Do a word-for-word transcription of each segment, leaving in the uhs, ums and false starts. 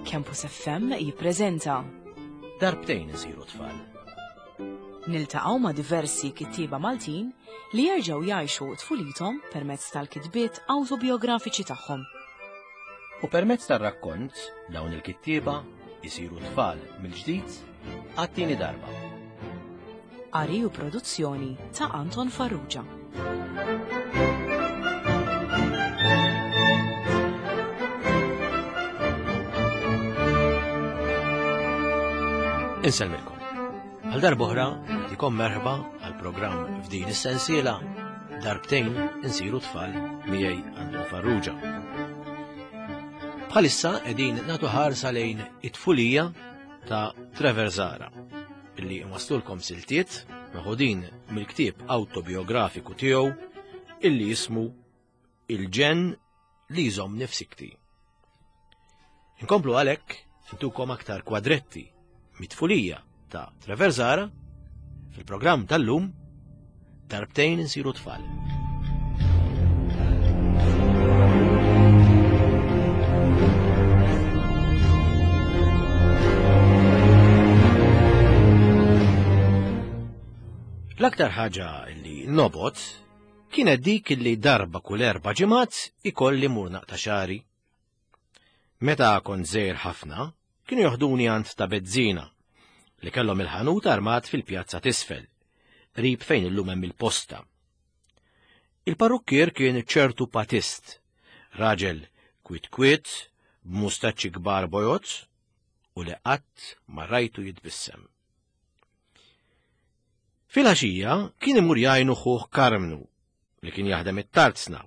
Campus F M jippreżenta Darbtejn isiru tfal. Niltaqgħu ma' diversi kittieba Maltin li jerġgħu jgħixu tfulithom permezz tal-kitbiet awtobiografiċi tagħhom. U permezz tar-rakkont dawn il-kittieba jisiru tfal mill-ġdid għat-tieni darba. Qari u produzzjoni ta' Anton Farrugia. Insellmilkom. Għal darb'oħra nagħtikom merħba għal programm f'din is-sensiela Darbtejn insiru tfal miegħi Anton Farrugia. Bħalissa qegħdin nagħtu ħarsa lejn it-tfulija ta' Trevor Zahra, illi nwaslulkom siltiet meħudin mill-ktieb awtobiografiku tiegħu illi jismu Il-ġenn li jżomm nifsikti. Inkomplu għalhekk intukom aktar kwadretti mit-tfulija ta' Trevor Zahra fil-programm tal-lum Darbtejn insiru tfal. L-aktar ħaġa li nobot kienet dik li darba kull erba' ġimgħat ikolli mur naqta' xagħri. Meta kont żgħir ħafna, kienu joħduni għand ta' Bezzina li kellhom il-ħanut armat fil-pjazza t'isfel, qrib fejn illum hemm il-posta. Il-parrukkier kien ċertu patist, raġel kwit kwit, b'mustaċċi kbar bojod u li qatt ma rajtu jitbissem. Fil-għaxija kien imur jgħinu ħuh Karmnu li kien jaħdem it-tarzna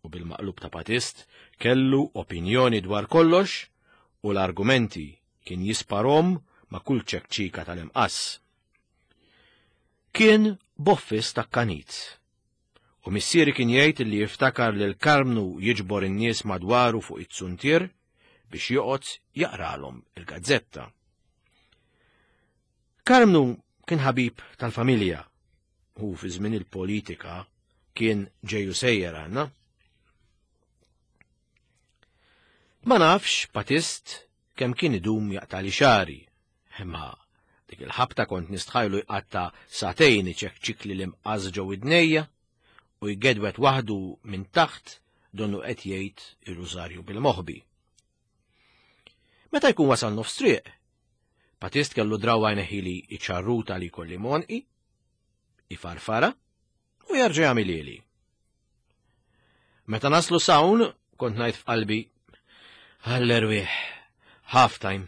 u bil-maqlub ta' patist kellu opinjoni dwar kollox u l-argumenti kien jisparhom ma' kull ċekċika tal-imqass. Kien boffis ta' kanit. U missieri kien jgħid li jiftakar lil Karmnu jiġbor in-nies madwaru fuq it-suntier biex joqgħod jaqralhom il-gazzetta. Karmnu kien ħabib tal-familja u fi żmien il-politika kien ġeju sejjer għandna. Ma nafx patist kemm kien idum jaqtali xagħri, imma dik il-ħabta kont nistħajlu jqatta' sagħtejn iċekċikli l-imqas ġew idnejja u jgedwet waħdu minn taħt donnu qed jgħid ir-rużarju bil-moħbi. Meta jkun wasal nofs triq, patist kellu drawwa jneħħili iċ-ċarruta li jkolli monqi, ifarfara u jerġa' jagħmilhieli. Meta naslu sawn kont ngħid f'qalbi għall-erwieħ, half time.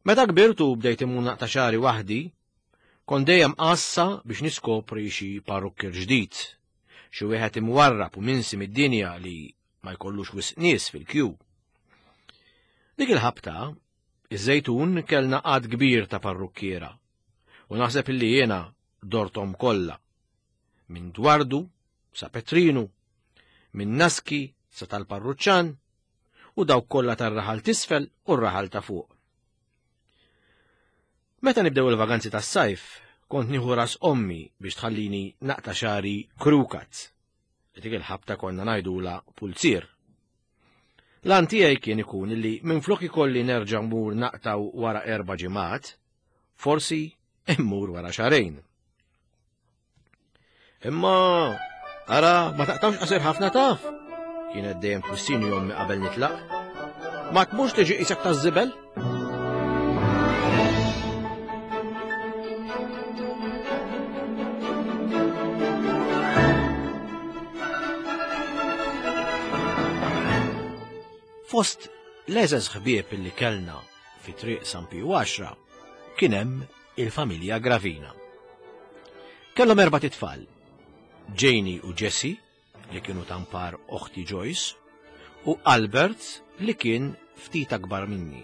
Meta kbirtu bdejt immur naqta' xagħri waħdi, kont dejjem qassa biex niskopri xi parrukkier ġdid, xi wieħed imwarrab u minsi mid-dinja li ma jkollux wisq nies fil-kju. Dik il-ħabta, iż-Żejtun kellna għadd kbir ta' parrukkiera u naħseb illi jiena dortom kollha, minn Dwardu sa Petrinu, minn Naski sa tal-Parruċċan u dawk kollha tar-raħal t'isfel u r-raħal ta' fuq. Meta nibdew il-vaganzi tas-sajf, kont nieħu ras ommi biex tħallini naqta' xagħri krukat, li dik il-ħabta konna ngħidulha pulzier. L-għan tiegħi kien ikun li minflok ikolli nerġa' mmur naqtaw wara erba' ġimgħat, forsi immur wara xahrejn. Imma ara ma taqtawx qasir ħafna taf, kienet dejjem twissini ommi qabel nitlaq. Ma tmurx tiġi qisek taż-żibel? Fost l-eżeż ħbieb li kellna fi triq San Piju għaxra kien hemm il-familja Gravina. Kellhom erba' titfal, Janie u Jessie li kienu tampar oħti Joyce u Albert li kien ftit akbar minni.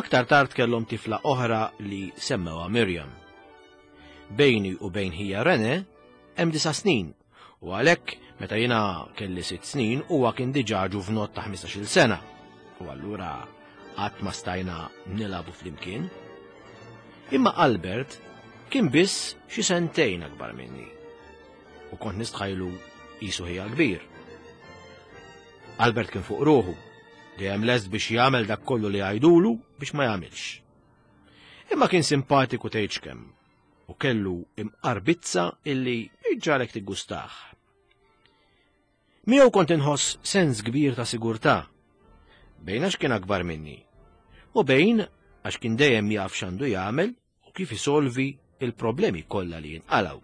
Aktar tard kellhom tifla oħra li semmewha Miriam. Bejni u bejn ħija Rene hemm disa' snin u għalhekk meta jiena kelli sitt snin huwa kien diġà ġuvnott ta' ħmistax-il sena u allura qatt ma stajna nilagħbu flimkien. Imma Albert kien biss xi sentejn akbar minni u kont nistħajlu qisu ħija kbir. Albert kien fuq ruħu, Dejjem lest biex jagħmel dak kollu li jgħidulu biex ma jagħmilx. Imma kien simpatiku tgħidx kemm u kellu imqarbizza illi iġġalek tiggustah. Miegħu kont inħoss sens kbir ta' sigurtà, bejn għax kien akbar minni u bejn għax kien dejjem jaf x'għandu jagħmel u kif isolvi il-problemi kollha li jinqalgħu.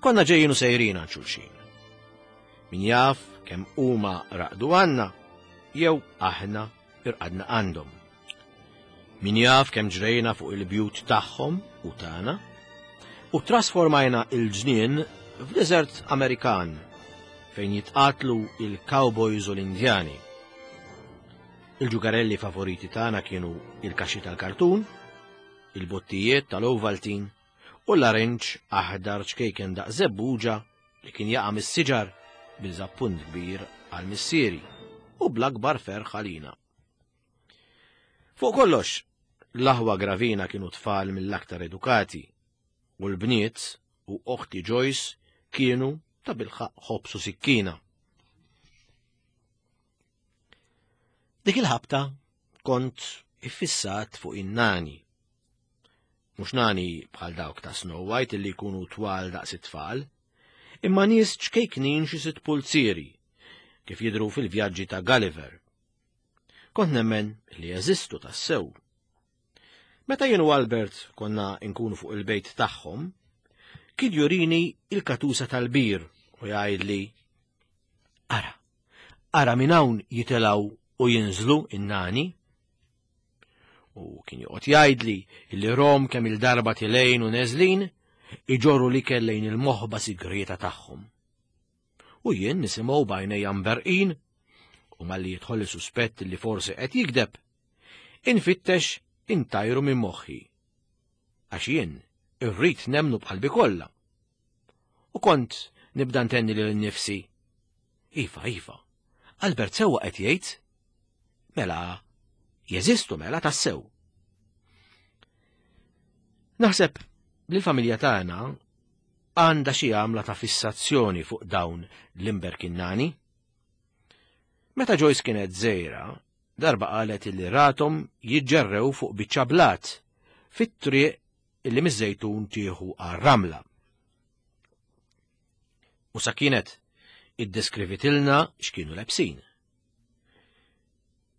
Konna ġejjin u sejrin għand xulxin. Min jaf kemm huma raqdu għandna jew aħna irqadna għandhom. Min jaf kemm ġrejna fuq il-bjut tagħhom u tagħna u trasformajna il-ġnien f'deżert Amerikan fejn jitqatlu il-cowboys u l-Indjani. Il-ġugarelli favoriti tagħna kienu il-kaxxi tal-kartun, il-bottijiet tal-Ovaltine u l-arinġ aħdar ċkejken daq żebbuġa li kien jaqa' mis-siġar biżappunt kbir għal missieri u bl-akbar ferħ għalina. Fuq kollox, l-aħwa Gravina kienu tfal mill-aktar edukati u l-bniet u oħti Joyce kienu ta' bilħaq ħobs u sikkina. Dik il-ħabta kont iffissat fuq in-nani. Mhux nani bħal dawk ta' Snow White illi jkunu twal daqs it-tfal, imma nies ċkejknin xi sitt pulzieri, kif jidhru fil-vjaġġi ta' Gulliver. Kont nemmen li jeżistu tassew. Meta jien u Albert konna nkunu fuq il-bejt tagħhom, kien jurini il-katusa tal-bir u jgħidli: Ara, ara minn hawn jitilgħu u jinżlu in-nani. U kien joqgħod jgħidli li rom kemm il-darba tilejn u neżlin iġorru li kellejn il-moħba sigrieta tagħhom. U jien nisimgħu b'għajnejja mberqin u malli jidħolli suspett li forsi qed jikdeb, infittex intajru minn moħħi. Għax jien irrid nemnu b'qalbi kollha. U kont nibda ntenni lil nnifsi: Iva, iva, Albert sewwa qed jgħid, mela jeżistu mela tassew. Naħseb li l-familja tagħna għandha xi għamla ta' fissazzjoni fuq dawn l-imberkinnani. Meta Joyce kienet żgħira, darba qalet li rathom jiġġerrew fuq biċċa blat fit-triq illi miż-Żejtun tieħu għar-Ramla. U sa kienet iddeskrivitilna x'kienu lebsin.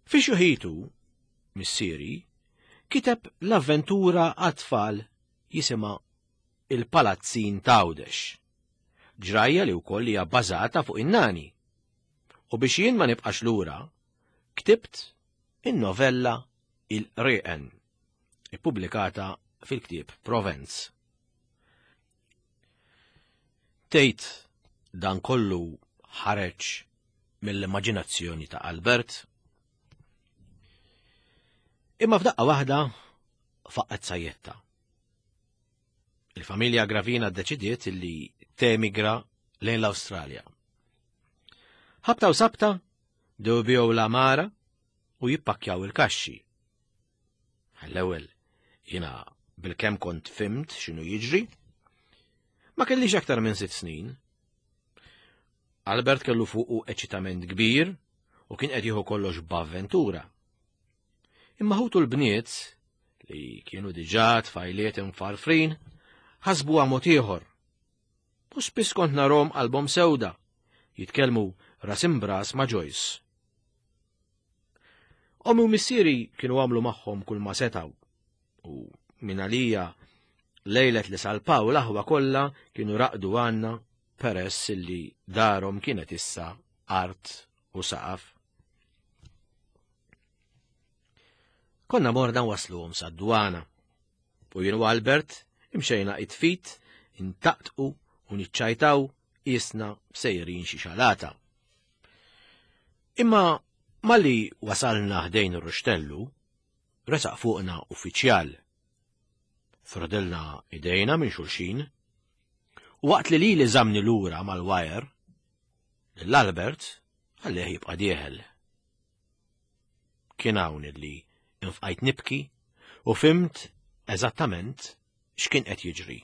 Fi xuħitu, missieri, kiteb l-avventura għat-tfal jisimha Il-Palazzin t'Għawdex, ġrajja li wkoll hija bbażata fuq in-nani. U biex jien ma nibqax lura, ktibt in-novella Il-Qrieqen, ippubblikata fil-ktieb Provenz. Tgħid dan kollu ħareġ mill-immaġinazzjoni ta' Albert. Imma f'daqqa waħda faqqet sajjetta. Il-familja Gravina ddeċidiet li temigra lejn l-Awstralja. Ħabta u sabta bdew ibigħu l-għamara u jippakkjaw il-kaxxi. Għall-ewwel jiena bilkemm kont fimt x'inhu jiġri. Ma kellix aktar minn sitt snin. Albert kellu fuqu eċitament kbir u kien qed jieħu kollox b'avventura. Imma ħutu l-bniet, li kienu diġà tfajliet imfarfrin, ħasbuha mod ieħor. U spiss kont narhom qalbhom sewda, jitkellmu ras imbras ma' Joyce. Ommi u missieri kienu għamlu magħhom kull ma setgħu, u minn għalija lejlet li salpaw l-aħwa kollha kienu raqdu għandna peress li darhom kienet issa art u saqaf. Konna morna wasluhom sad-dwana, u jien u Albert imxejna it-fit, intaqtqu u niċċajtaw isna sejrin xi xalata. Imma malli wasalna ħdejn ir-ruxtellu, resaq fuqna uffiċjal. Frodilna idejna minn xulxin, u waqt li lili żamni lura mal-wajer, lil Albert ħallih jibqa' dieħel. Kien hawn illi infqajt nibki u fimt eżattament x'kien qed jiġri.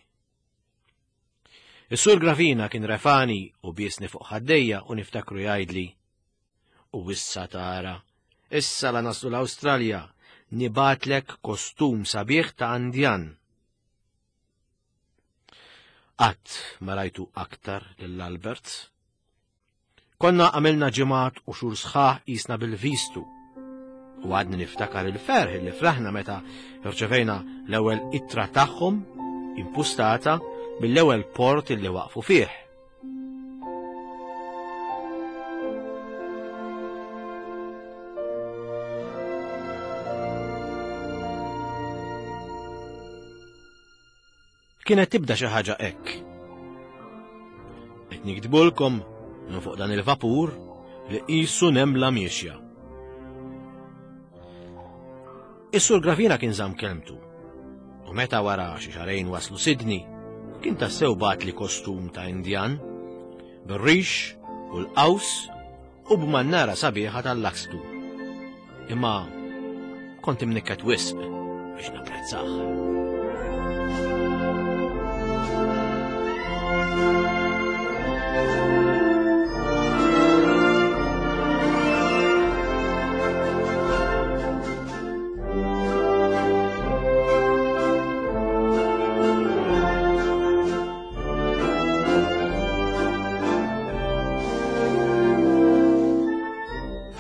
Is-Sur Gravina kien refani u biesni fuq ħaddejja u niftakru jgħidli: U issa tara, issa la naslu l-Awstralja, nibatlek kostum sabiħ ta' Andjan. Qatt ma rajtu aktar lil Albert. Konna għamilna ġimgħat u xhur sħaħ qisna bil-vistu. U għadni niftakar il-ferħ li fraħna meta rċevejna l-ewwel ittra tagħhom impustata mill-ewwel port li waqfu fih. Kienet tibda xi ħaġa hekk. Qed niktbulkom minn fuq dan il-vapur li qisu nemla miexja. Is-Sur Gravina kien żamm kelmtu, u meta wara xi xahrejn waslu Sydney, kien tassew bagħatli kostum ta' Indjan, bir-rix u l-qaws u b'mannara sabiħa tal-lakstu. Imma kont imnikket wisq biex napprezzah.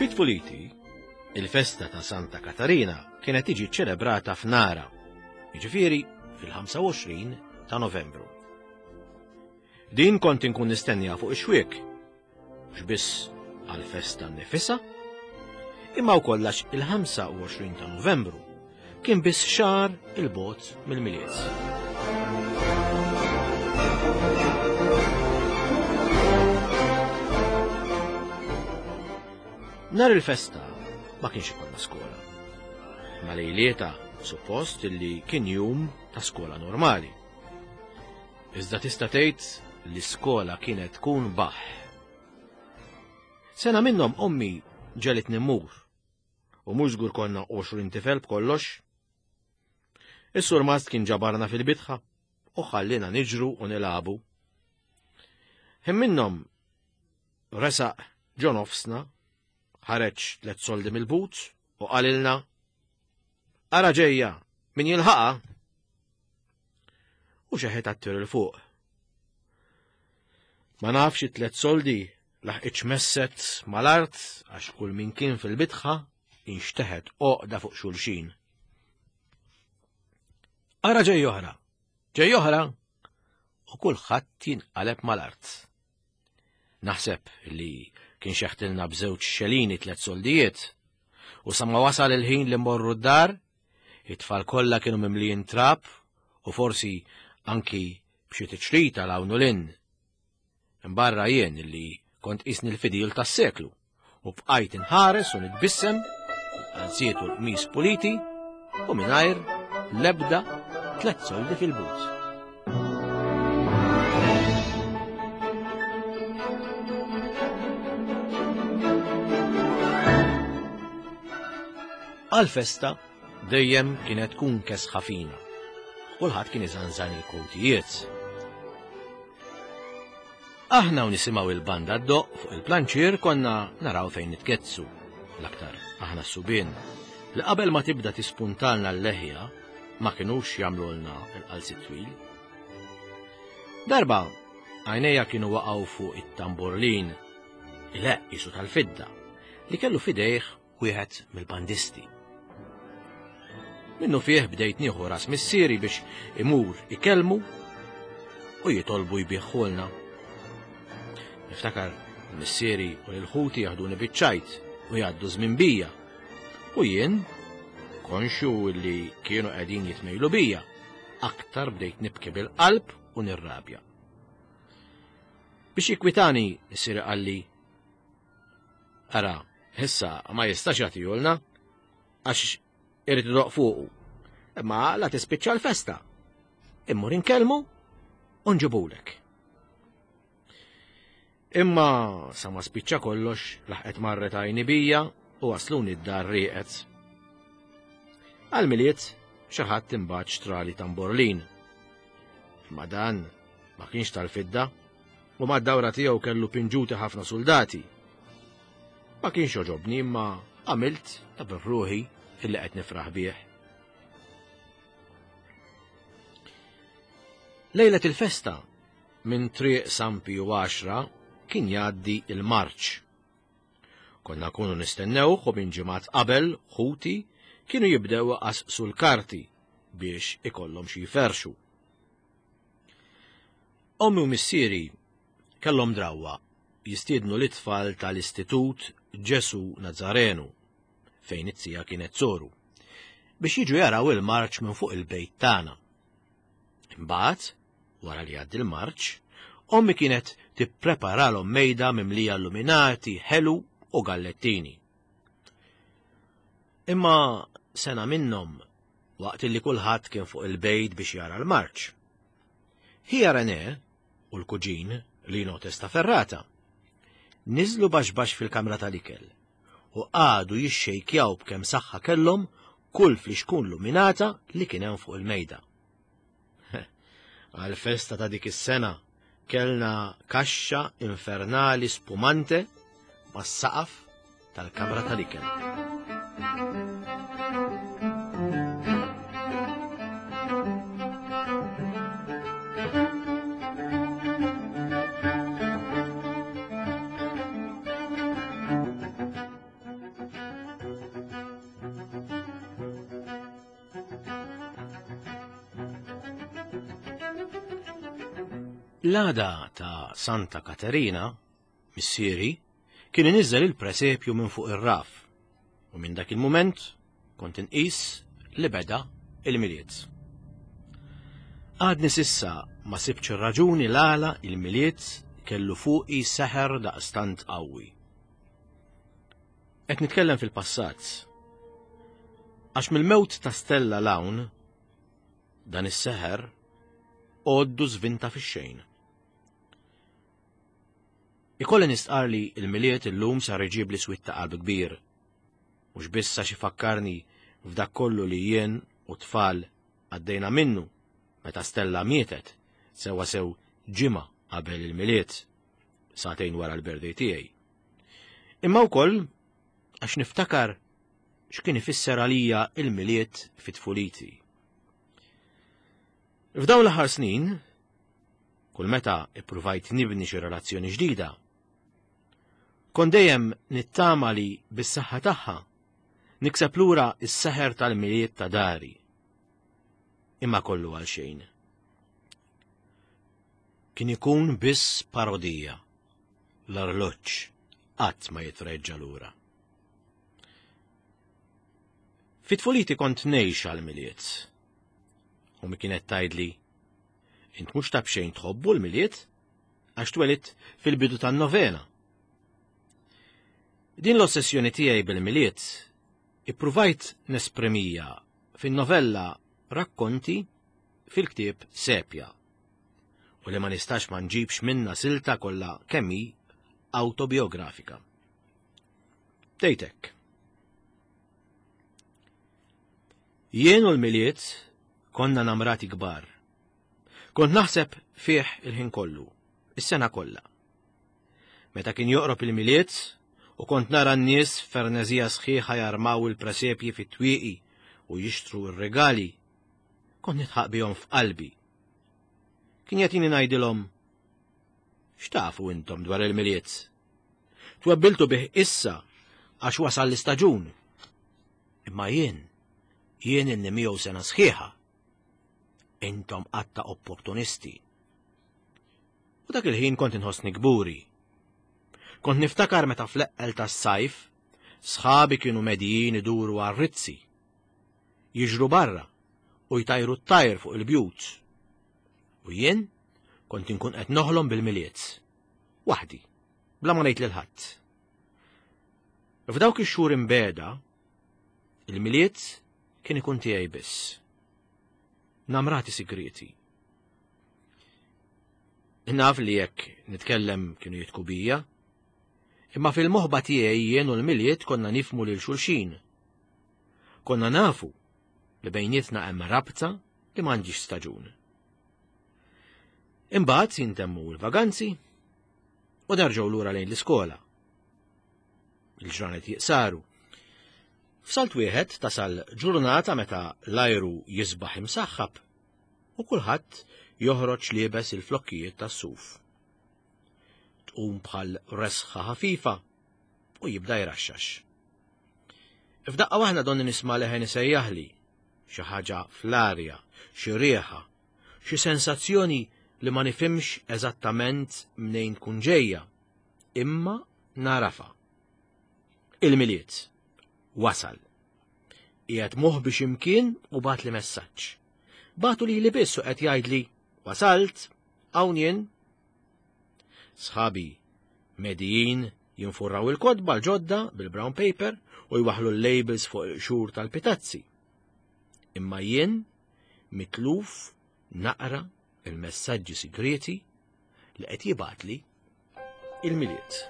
Fit-tfuliti, il-festa ta' Santa Katarina kienet tiġi ċelebrata f'Nara, jiġifieri fil-ħamsa u għoxrin ta' Novembru. Din kont inkun nistennija fuq ix-xwiek, mhux biss għall-festa nnifisha, imma wkoll għax il-ħamsa u għoxrin ta' Novembru kien biss xahar il-bogħod mill-Milied. Nhar il-festa ma kienx ikollna skola. Ma lejlieta suppost illi kien jum ta' skola normali. Iżda tista' tgħid li skola kienet tkun baħ. Sena minnhom ommi ġelitni mmur, u mhux żgur konna għoxrin tifel b'kollox. Is-sur Mast kien ġabarna fil-bitħa u ħallina niġru u nilagħbu. Ħin minnhom resaq ġo nofsna, ħareġ tliet soldi mill-but u qalilna, Ara ġejja, min jilħaqha? U xeħet għat-tir il fuq. Ma nafx it-tliet soldi laħqitx messet mal-art għax kull min kien fil-bitħa inxteħet għoqda fuq xulxin. Ara ġej oħra, ġej oħra, u kulħadd jinqaleb mal-art. Naħseb li kien xeħtilna b'żewġ xelini tliet soldijiet, u sa ma wasal il-ħin li mmorru d-dar, it-tfal kollha kienu mimlijin trab u forsi anki b'xi tiċrita l hawn u lin. Imbarra jien li kont qisni l-fidil tas-seklu u bqajt inħares u nitbissem għal-qalziet u l-qmis puliti u mingħajr l-ebda tliet soldi fil-but. Għal-festa dejjem kienet tkun kesħa fina. Kulħadd kien iżanżan il-kowtijiet. Aħna u nisimgħu il-banda ddoq fuq il-planċier konna naraw fejn nitkezzu, l-aktar aħna s-subien, li qabel ma tibda tispuntalna l-leħja ma kinux jagħmlulna l-qalsi twil. Darba għajnejja kienu waqgħu fuq it-tamburlin, il-eqq qisu tal-fidda, li kellu fidejh wieħed mill-bandisti. Minnu fih bdejt nieħu ras missieri biex imur ikellmu u jitolbu jbieħħulna. Niftakar missieri u l-ħuti jaħduni biċ-ċajt u jgħaddu żmien bija. U jien, konxju li kienu qegħdin jitmejlu bija, aktar bdejt nibki bil-qalb u nirrabja. Biex jikwitani, missieri qalli, Ara, issa ma jistax jagħtihulna għax irid idoq fuqu. Imma la tispiċċa l-festa. Immur inkellmu u nġibulek. Imma sa ma spiċċa kollox laħqet marret għajni bija u wasluni d-dar rieqet. Għal-Milied xi ħadd imbagħad xtrali tamborlin. Imma dan ma kienx tal-fidda u mad-dawra tiegħu kellu pinġuti ħafna soldati. Ma kienx joġobni imma għamilt ta' birruħi illi qed nifraħ bih. Lejlet il-festa minn triq San Piju għaxra kien jgħaddi il-marċ. Konna kunu nistennewh u minn ġimgħat qabel ħuti kienu jibdew iqasqsu l-karti biex ikollhom xi jferxu. Ommi u missieri kellhom drawwa jistiednu l-itfal tal-Istitut Ġesu Nazarenu fejn it-tija kienet soru biex jiġu jaraw il-marċ minn fuq il-bejt tagħna. Imbagħad, wara li għaddi l-marċ, ommi kienet tippreparalhom mejda mimlija illuminati, ħelu u gallettini. Imma sena minnhom waqt li kulħadd kien fuq il-bejt biex jara l-marċ. Ħija René u l-kuġin Lino Testaferrata niżlu baxbax fil-kamra tal-ikel u qagħdu jixxejkjaw b'kemm saħħa kellhom kull flixkun luminata li kien hemm fuq il-mejda. Għal-festa ta' dik is-sena kellna kaxxa infernali spumante mas-saqaf tal-kamra tal-ikel. L-għada ta' Santa Katerina, missieri, kien iniżżel il-presepju minn fuq ir-raf u minn dak il-mument kont inqis li beda il-Milied. Għadni sissa ma sibx ir-raġuni l-għala il-Milied kellu fuqi seħer daqstant qawwi. Qed nitkellem fil-passat. Għax mill-mewt ta' Stella l-hawn, dan is-seħer għoddu żvinta fix-xejn. Ikolli nistqar li il-Milied illum sar iġib li swit ta' qalb kbir. Mhux biss għax ifakkarni f'dak kollu li jien u tfal għaddejna minnu meta Stella mietet sewwa sew ġimgħa qabel il-Milied, sagħtejn wara l-birthday tiegħi. Imma wkoll għax niftakar x'kien ifisser għalija il-Milied fit-tfuliti. F'dawn l-aħħar snin, kull meta ippruvajt nibni xi relazzjoni ġdida, kont dejjem nittama li bis-saħħa tagħha nikseb lura s-seħer tal-Milied ta' dari. Imma kollu għal xejn. Kien ikun biss parodija. L-arloġġ qatt ma jitreġġa lura. Fit-tfuliti kont ngħix għall-Milied. U mi kienet tgħidli, int mhux ta' b'xejn tħobbu l-Milied għax twelidt fil-bidu tan-novena. Din l-ossessjoni tiegħi bil-Milied ippruvajt nesprimija fin-novella Rakkonti fil-ktieb Sepja u li ma nistax ma nġibx minna silta kollha kemm hi autobiografika. Tgħidlek. Jien u l-Milied konna namrati kbar. Kont naħseb fih il-ħin kollu, is-sena kollha. Meta kien joqrob il-Milied u kont nara n-nies f'fernezija sħiħa jarmaw il-presepji fit-twieqi u jixtru r-regali, kont nitħaq bihom f'qalbi. Kien jagħtini ngħidilhom, x'tafu intom dwar il-Milied? Twebbiltu bih issa għax wasal l-istaġun. Imma jien, jien inni miegħu sena sħiħa. Intom qatta opportunisti. U dak il-ħin kont inħossni kburi. Kont niftakar meta fl-eqqel tas-sajf, sħabi kienu medijin iduru għar-rizzi. Jiġru barra u jtajru t-tajr fuq il-bjut. U jien kont inkun qed noħlom bil-Milied. Waħdi, bla ma ngħid lil ħadd. F'dawk ix-xhur imbeda, il-Milied kien ikun tiegħi biss. Namrati sigriti. Naf li jekk nitkellem kienu jitku bija, imma fil-moħba tiegħi jien u l-Milied konna nifmu lil xulxin. Konna nafu li bejnietna hemm rabta li m'għandix staġun. Imbagħad jintemmu l-vaganzi u nerġgħu lura lejn l-iskola. Il-ġranet jiqsaru. F'salt wieħed tasal ġurnata meta l-ajru jisbaħ imsaħħab u kulħadd joħroġ liebes il-flokkijiet tas-suf. Tqum bħal resħa ħafifa u jibda jraxxax. F'daqqa waħda donni nisma' leħen isejjaħli, xi ħaġa fl-arja, xi rieħa, xi sensazzjoni li ma nifhimx eżattament mnejn tkun ġejja, imma narafa. Il-Milied wasal. Qiegħed moħbi x'imkien u bagħatli messaġġ. Bagħtu lili biss u qed jgħidli wasalt, hawn jien. Sħabi medijin jinfurraw il-kotba l-ġodda bil-brown paper u jwaħħlu l-labels fuq il-qxur tal-pitazzi. Imma jien mitluf naqra il-messaġġi sigreti li qed jibgħatli il-Milied.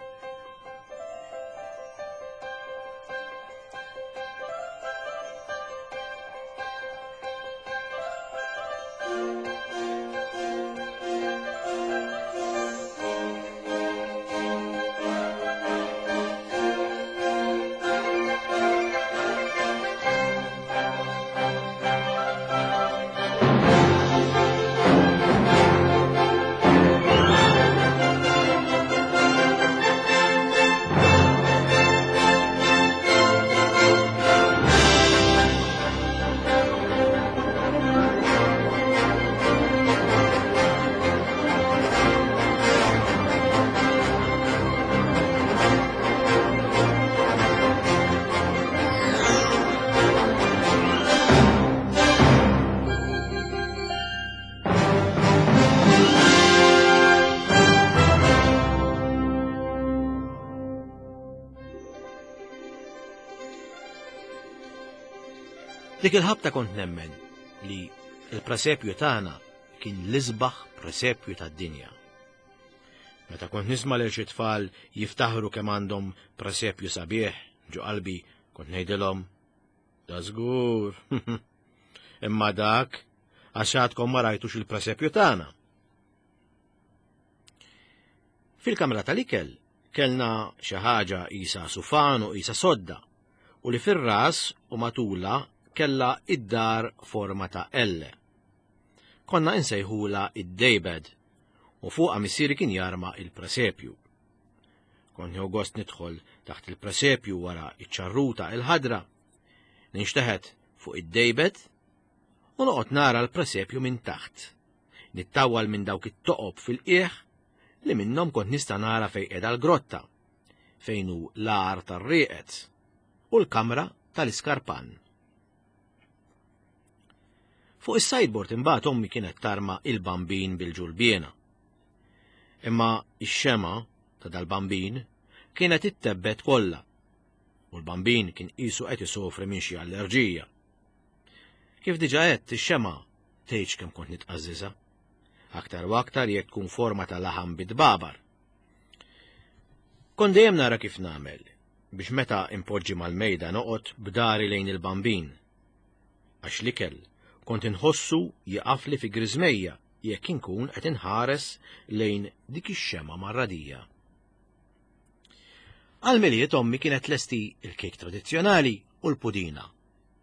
Dik il-ħabta kont nemmen li il-presepju tagħna kien l-isbaħ presepju tad-dinja. Meta kont nisma' lil xi tfal jiftaħru kemm għandhom presepju sabiħ, ġo qalbi kont ngħidilhom da żgur. Imma dak għax għadkom ma rajtux il-presepju tagħna. Fil-kamra tal-ikel kellna xi ħaġa qisha sufan u qisha sodda u li fir-ras u matula kella id-dar forma ta' L. Konna insejħula id-daybed u fuqha missieri kien jarma il-presepju. Kont nieħu gost nidħol taħt il-presepju wara iċ-ċarruta il-ħadra, ninxteħet fuq id-daybed u noqgħod nara l-presepju minn taħt. Nittawwal minn dawk it-toqob fil-qiegħ li minnhom kont nista' nara fejn qiegħda l-grotta, fejn hu l-għar tar-rieqed u l-kamra tal-iskarpan. Fuq is-sideboard imbagħad ommi kienet tarma il-bambin bil-ġulbiena. Imma ix-xema ta' dal-bambin kienet ittebbet kollha u l-bambin kien qisu qed isofri minn xi allerġija. Kif diġà għedt, ix-xema tgħidx kemm kont nitqażżiżha. Aktar u aktar jekk tkun forma ta' laħam bit-babar. Kont dejjem nara kif nagħmel biex meta impoġġi mal-mejda noqgħod b'dari lejn il-bambin. Għax l-ikel kont inħossu jaqafli fi griżmejja jekk inkun qed inħares lejn dik ix-xema marradija. Għal-Milied ommi kienet lesti il-kejk tradizzjonali u l-pudina,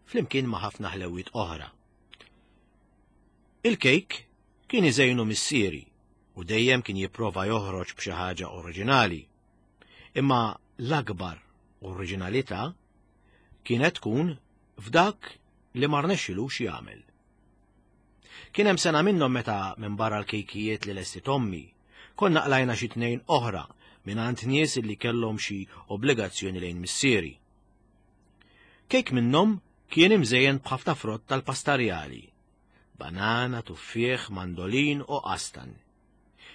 flimkien ma' ħafna ħlewiet oħra. Il-kejk kien iżejnu missieri u dejjem kien jipprova joħroġ b'xi ħaġa oriġinali. Imma l-akbar oriġinalità kienet tkun f'dak li ma rnexxilux jagħmel. Kien hemm sena minnhom meta minn barra l-kejkijiet li lesti ommi, konna qlajna xi tnejn oħra mingħand nies li kellhom xi obbligazzjoni lejn missieri. Kejk minnhom kien imżejjen b'ħafna frott tal-pastarjali, banana, tuffieħ, mandolin u qastan.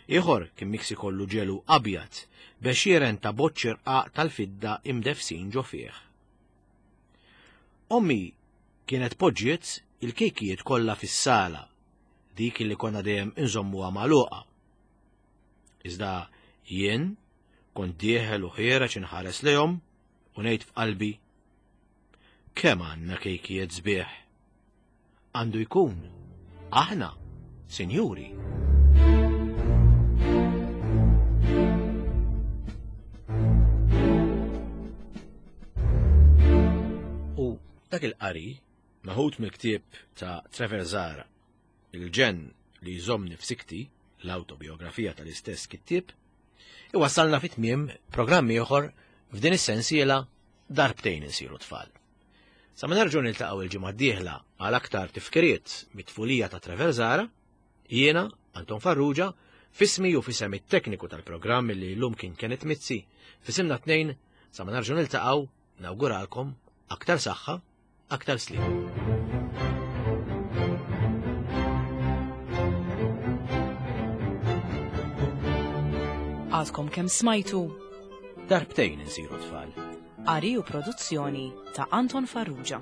Ieħor kien miksi kollu ġelu abjad b'għexieren ta' boċċi rqaq tal-fidda imdefsin ġo fih. Ommi kienet poġġiet il-kejkijiet kollha fis-sala, dik li konna dejjem inżommuha magħluqa. Iżda jien kont dieħel u ħiereġ inħares lejhom u ngħid f'qalbi kemm għandna kejkijiet sbieħ. Għandu jkun aħna, sinjuri. Dak il-qari, meħud mill-ktieb ta' Trevor Zahra, Il-ġenn li jżommni f'sikti, l-autobiografija tal-istess kittieb, iwassalna fi tmiem programm ieħor f'din is-sensiela Darbtejn insiru tfal. Sa ma nerġgħu niltaqgħu il-ġimgħa d-dieħla għal aktar tifkiriet mit-tfulija ta' Trevor Zahra, jiena, Anton Farrugia, f'ismi u f'isem it-tekniku tal-programm li llum kien Kenneth Mizzi, f'isimna tnejn, sa ma nerġgħu niltaqgħu, nawguralkom aktar saħħa, aktar sliem. Għadkom kemm smajtu Darbtejn insiru tfal. Qari u produzzjoni ta' Anton Farrugia.